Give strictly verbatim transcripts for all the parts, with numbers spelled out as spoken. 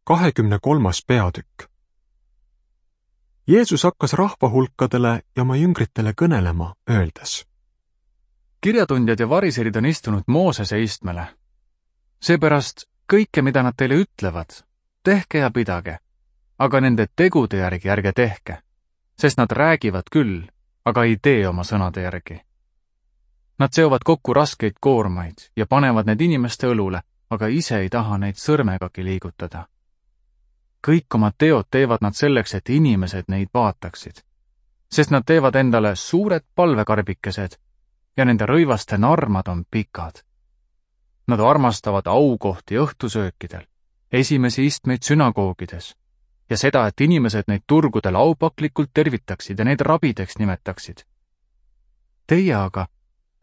kahekümne kolmas peatükk. Jeesus hakkas rahvahulkadele ja oma jüngritele kõnelema, öeldes. Kirjatundjad ja variserid on istunud Moosese istmele. Seepärast kõike, mida nad teile ütlevad, tehke ja pidage, aga nende tegude järgi ärge tehke, sest nad räägivad küll, aga ei tee oma sõnade järgi. Nad seovad kokku raskeid koormaid ja panevad need inimeste õlule, aga ise ei taha neid sõrmegagi liigutada. Kõik oma teod teevad nad selleks, et inimesed neid vaataksid, sest nad teevad endale suured palvekarbikesed ja nende rõivaste narmad on pikad. Nad armastavad aukohti õhtusöökidel, esimesi istmeid sünagoogides ja seda, et inimesed neid turgudel aupaklikult tervitaksid ja neid rabideks nimetaksid. Teie aga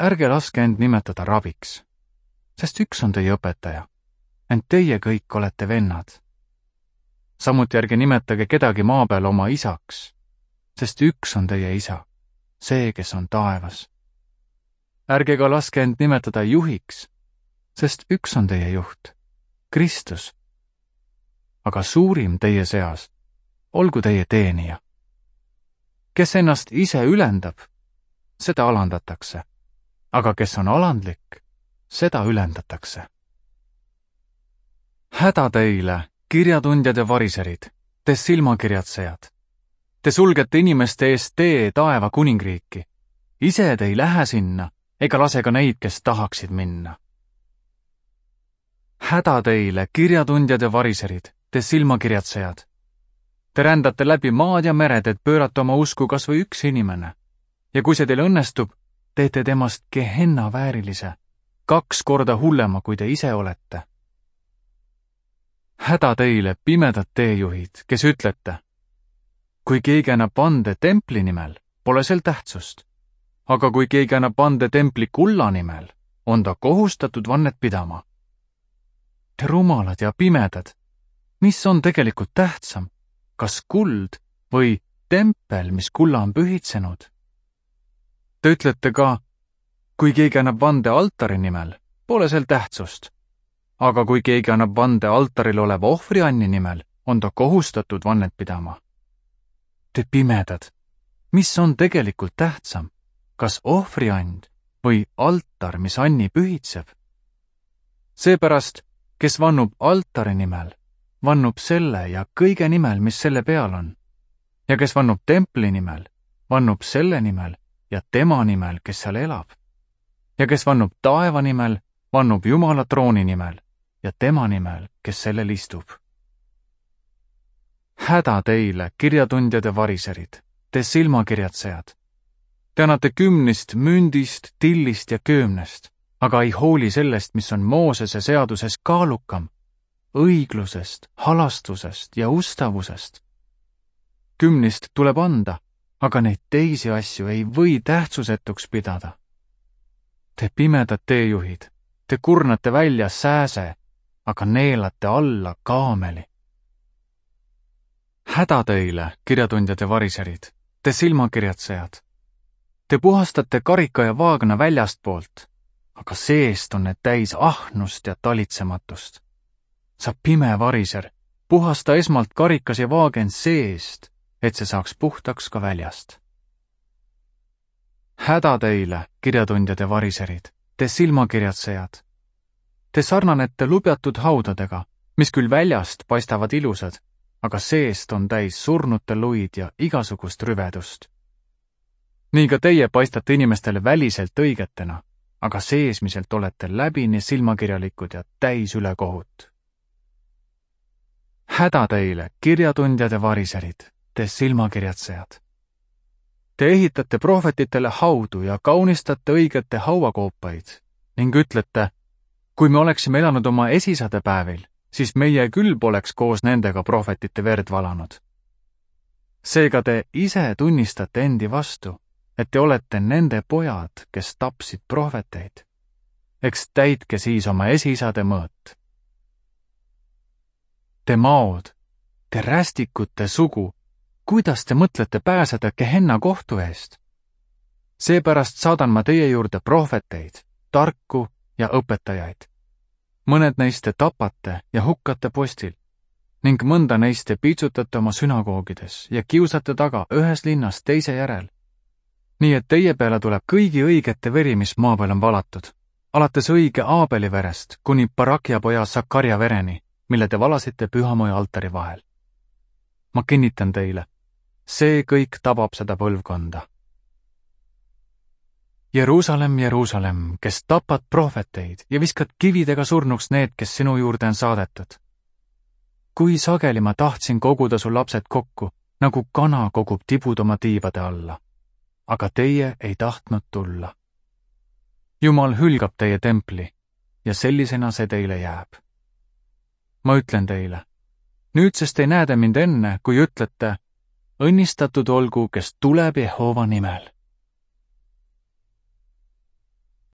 ärge laske end nimetada rabiks, sest üks on teie õpetaja, ent teie kõik olete vennad. Samuti ärge nimetage kedagi maa peal oma isaks, sest üks on teie isa, see, kes on taevas. Ärge ka laske end nimetada juhiks, sest üks on teie juht, Kristus. Aga suurim teie seas, olgu teie teenija. Kes ennast ise ülendab, seda alandatakse, aga kes on alandlik, seda ülendatakse. Häda teile, kirjatundjad ja variserid, te silmakirjatsejad. Te sulgete inimeste eest tee taeva kuningriiki. Ise te ei lähe sinna, ega lase ka neid, kes tahaksid minna. Häda teile, kirjatundjad ja variserid, te silmakirjatsejad. Te rändate läbi maad ja mered, et pöörata oma usku kas või üks inimene. Ja kui see teil õnnestub, teete temast Gehenna väärilise, kaks korda hullema, kui te ise olete. Häda teile, pimedad teejuhid, kes ütlete, kui keegi annab vande templi nimel, pole sel tähtsust, aga kui keegi annab vande templi kulla nimel, on ta kohustatud vannet pidama. Te rumalad ja pimedad, mis on tegelikult tähtsam, kas kuld või tempel, mis kulla on pühitsenud? Te ütlete ka, kui keegi annab vande altari nimel, pole sel tähtsust, aga kui keegi annab vande altaril oleva ohvrianni nimel, on ta kohustatud vannet pidama. Te pimedad, mis on tegelikult tähtsam, kas ohvriand või altar, mis anni pühitseb? Seepärast, kes vannub altari nimel, vannub selle ja kõige nimel, mis selle peal on. Ja kes vannub templi nimel, vannub selle nimel ja tema nimel, kes seal elab. Ja kes vannub taeva nimel, vannub Jumala trooni nimel ja tema nimel, kes sellel istub. Häda teile, kirjatundjad ja variserid, te silmakirjatsejad. Te annate kümnist, mündist, tillist ja köömnest, aga ei hooli sellest, mis on Moosese seaduses kaalukam, õiglusest, halastusest ja ustavusest. Kümnist tuleb anda, aga neid teisi asju ei või tähtsusetuks pidada. Te pimedad teejuhid, te kurnate välja sääse, aga neelate alla kaameli. Häda teile, kirjatundjad ja variserid, te silmakirjatsejad. Te puhastate karika ja vaagna väljast poolt, aga seest on need täis ahnust ja talitsematust. Sa pime variser, puhasta esmalt karikas ja vaagen seest, et see saaks puhtaks ka väljast. Häda teile, kirjatundjad ja variserid, te silmakirjatsejad. Te sarnanete lubjatud haudadega, mis küll väljast paistavad ilusad, aga seest on täis surnute luid ja igasugust rüvedust. Nii ka teie paistate inimestele väliselt õigetena, aga seesmiselt olete läbini silmakirjalikud ja täis ülekohut. Häda teile, kirjatundjad ja variserid, te silmakirjatsejad. Te ehitate prohvetitele haudu ja kaunistate õigete hauakoopaid ning ütlete, kui me oleksime elanud oma esisade päevil, siis meie küll poleks koos nendega prohvetite verd valanud. Seega te ise tunnistate endi vastu, et te olete nende pojad, kes tapsid prohveteid. Eks täitke siis oma esisade mõõt. Te maod, te rästikute sugu, kuidas te mõtlete pääseda Gehenna kohtu eest? Seepärast saadan ma teie juurde prohveteid, tarku ja õpetajaid. Mõned neist te tapate ja hukkate postil ning mõnda neist te piitsutate oma sünagoogides ja kiusate taga ühes linnas teise järel. Nii et teie peale tuleb kõigi õigete veri, mis maa peal on valatud, alates õige Aabeli verest kuni Barakja poja Sakarja vereni, mille te valasite pühamoja altari vahel. Ma kinnitan teile, see kõik tabab seda põlvkonda. Jeruusalemm, Jeruusalemm, kes tapad prohveteid ja viskad kividega surnuks need, kes sinu juurde on saadetud. Kui sageli ma tahtsin koguda su lapsed kokku, nagu kana kogub tibud oma tiivade alla, aga teie ei tahtnud tulla. Jumal hülgab teie templi ja sellisena see teile jääb. Ma ütlen teile, nüüdsest ei näe te mind enne, kui ütlete, õnnistatud olgu, kes tuleb Jehova nimel.